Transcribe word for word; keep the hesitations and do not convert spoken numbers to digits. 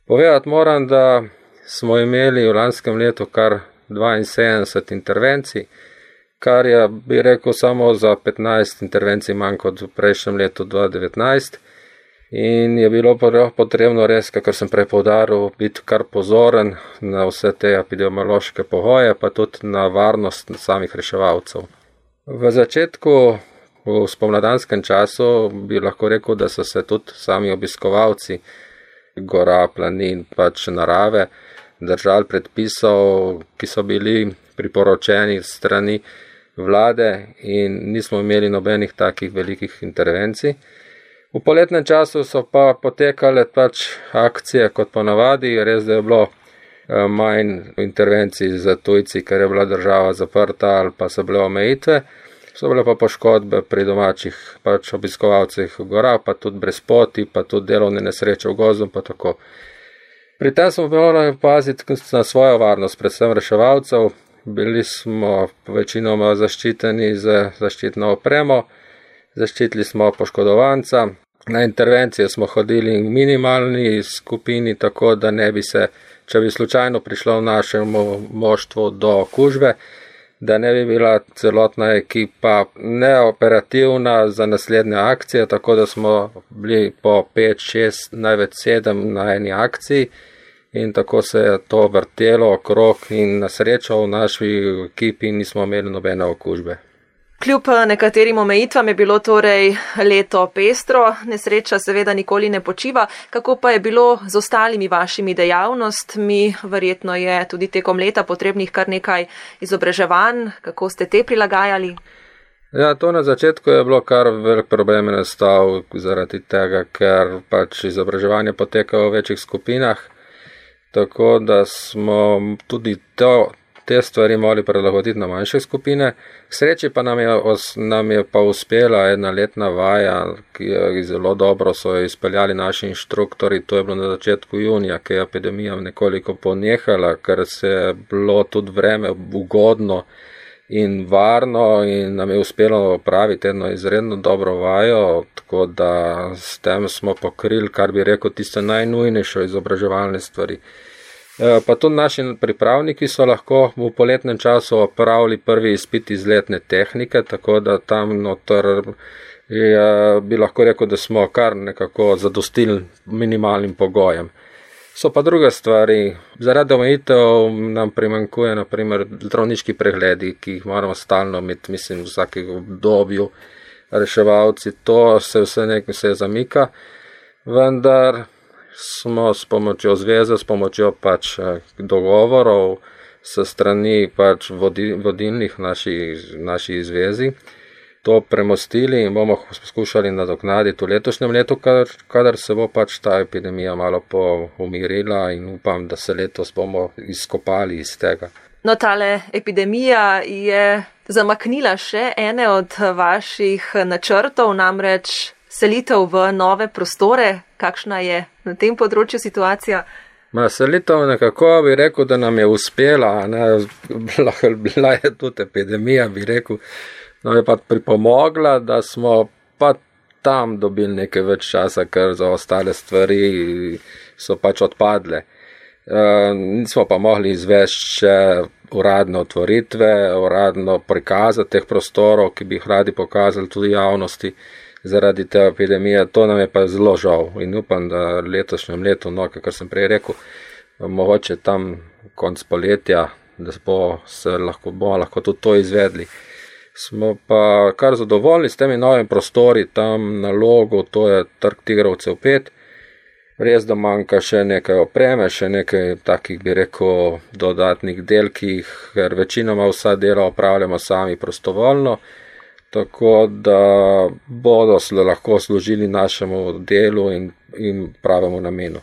Povedati moram, da smo imeli v lanskem letu kar dvainsedemdeset intervencij, kar je, bi rekel, samo za petnajst intervencij manj kot v prejšnjem letu dva tisoč devetnajst. In je bilo potrebno res, kakor sem prej poudaril, biti kar pozoren na vse te epidemiološke pogoje, pa tudi na varnost samih reševalcev. V začetku, v spomladanskem času, bi lahko rekel, da so se tudi sami obiskovalci gora, planin, pač narave, držali predpisov, ki so bili priporočeni strani vlade in nismo imeli nobenih takih velikih intervencij. V poletnem času so pa potekale pač akcije kot ponavadi, res da je bilo manj intervencij za tujci, ker je bila država zaprta ali pa so bile omejitve, so bile pa poškodbe pri domačih pač obiskovalcih v gora, pa tudi brezpoti, pa tudi delovne nesreče v gozdu, pa tako. Pri tem smo morali paziti na svojo varnost, predvsem reševalcev. Bili smo večinoma zaščiteni z zaščitno opremo, zaščitili smo poškodovanca, na intervencije smo hodili v minimalni skupini, tako da ne bi se, če bi slučajno prišlo v našem moštvu do okužbe, da ne bi bila celotna ekipa neoperativna za naslednje akcije, tako da smo bili po pet, šest, največ sedem na eni akciji in tako se je to vrtelo okrog in na srečo v naši ekipi nismo imeli nobene okužbe. Kljub nekaterim omejitvam je bilo torej leto pestro, nesreča seveda nikoli ne počiva. Kako pa je bilo z ostalimi vašimi dejavnostmi? Verjetno je tudi tekom leta potrebnih kar nekaj izobraževanj. Kako ste te prilagajali? Ja, to na začetku je bilo kar velik problem nastal zaradi tega, ker pač izobraževanje poteka v večjih skupinah, tako da smo tudi to te stvari morali prilagoditi na manjše skupine. K sreči pa nam je, nam je pa uspela ena letna vaja, ki je zelo dobro so jo izpeljali naši inštruktori. To je bilo na začetku junija, ki je epidemija nekoliko ponehala, ker se je bilo tudi vreme ugodno in varno in nam je uspelo opraviti eno izredno dobro vajo, tako da s tem smo pokrili, kar bi rekel, tiste najnujnejše izobraževalne stvari. Pa tudi naši pripravniki so lahko v poletnem času opravili prvi izpit iz letne tehnike, tako da tam noter je, bi lahko rekel, da smo kar nekako zadostili minimalnim pogojem. So pa druge stvari, zaradi omejitev nam primanjkuje na primer zdravniški pregledi, ki jih moramo stalno imeti, mislim, v vsakem obdobju reševalci, to se vse nekaj se zamika, vendar smo s pomočjo zveze, s pomočjo pač dogovorov s strani pač vodilnih naši, naši zvezi to premostili in bomo poskušali nadoknaditi v letošnjem letu, kadar se bo pač ta epidemija malo poumirila in upam, da se letos bomo izkopali iz tega. No, tale epidemija je zamaknila še ene od vaših načrtov, namreč selitev v nove prostore. Kakšna je na tem področju situacija? Ma, selitev nekako bi rekel, da nam je uspela, ne, bila je tudi epidemija, bi rekel, nam je pa pripomogla, da smo pa tam dobili nekaj več časa, ker za ostale stvari so pač odpadle. E, nismo pa mogli izvesti še uradne otvoritve, uradno prikazati teh prostorov, ki bi jih radi pokazali tudi javnosti. Zaradi te epidemije, to nam je pa zelo žal in upam, da letošnjem letu, no, kar sem prej rekel, mogoče tam konc poletja, da bo se lahko, bomo lahko tudi to izvedli. Smo pa kar zadovoljni s temi novimi prostori tam na Logu, to je Trg Tigrovcev pet. Res, da manjka še nekaj opreme, še nekaj takih, bi rekel, dodatnih delkih, ker večinoma vsa dela opravljamo sami prostovoljno. Tako da bodo lahko služili našemu delu in, in pravemu namenu.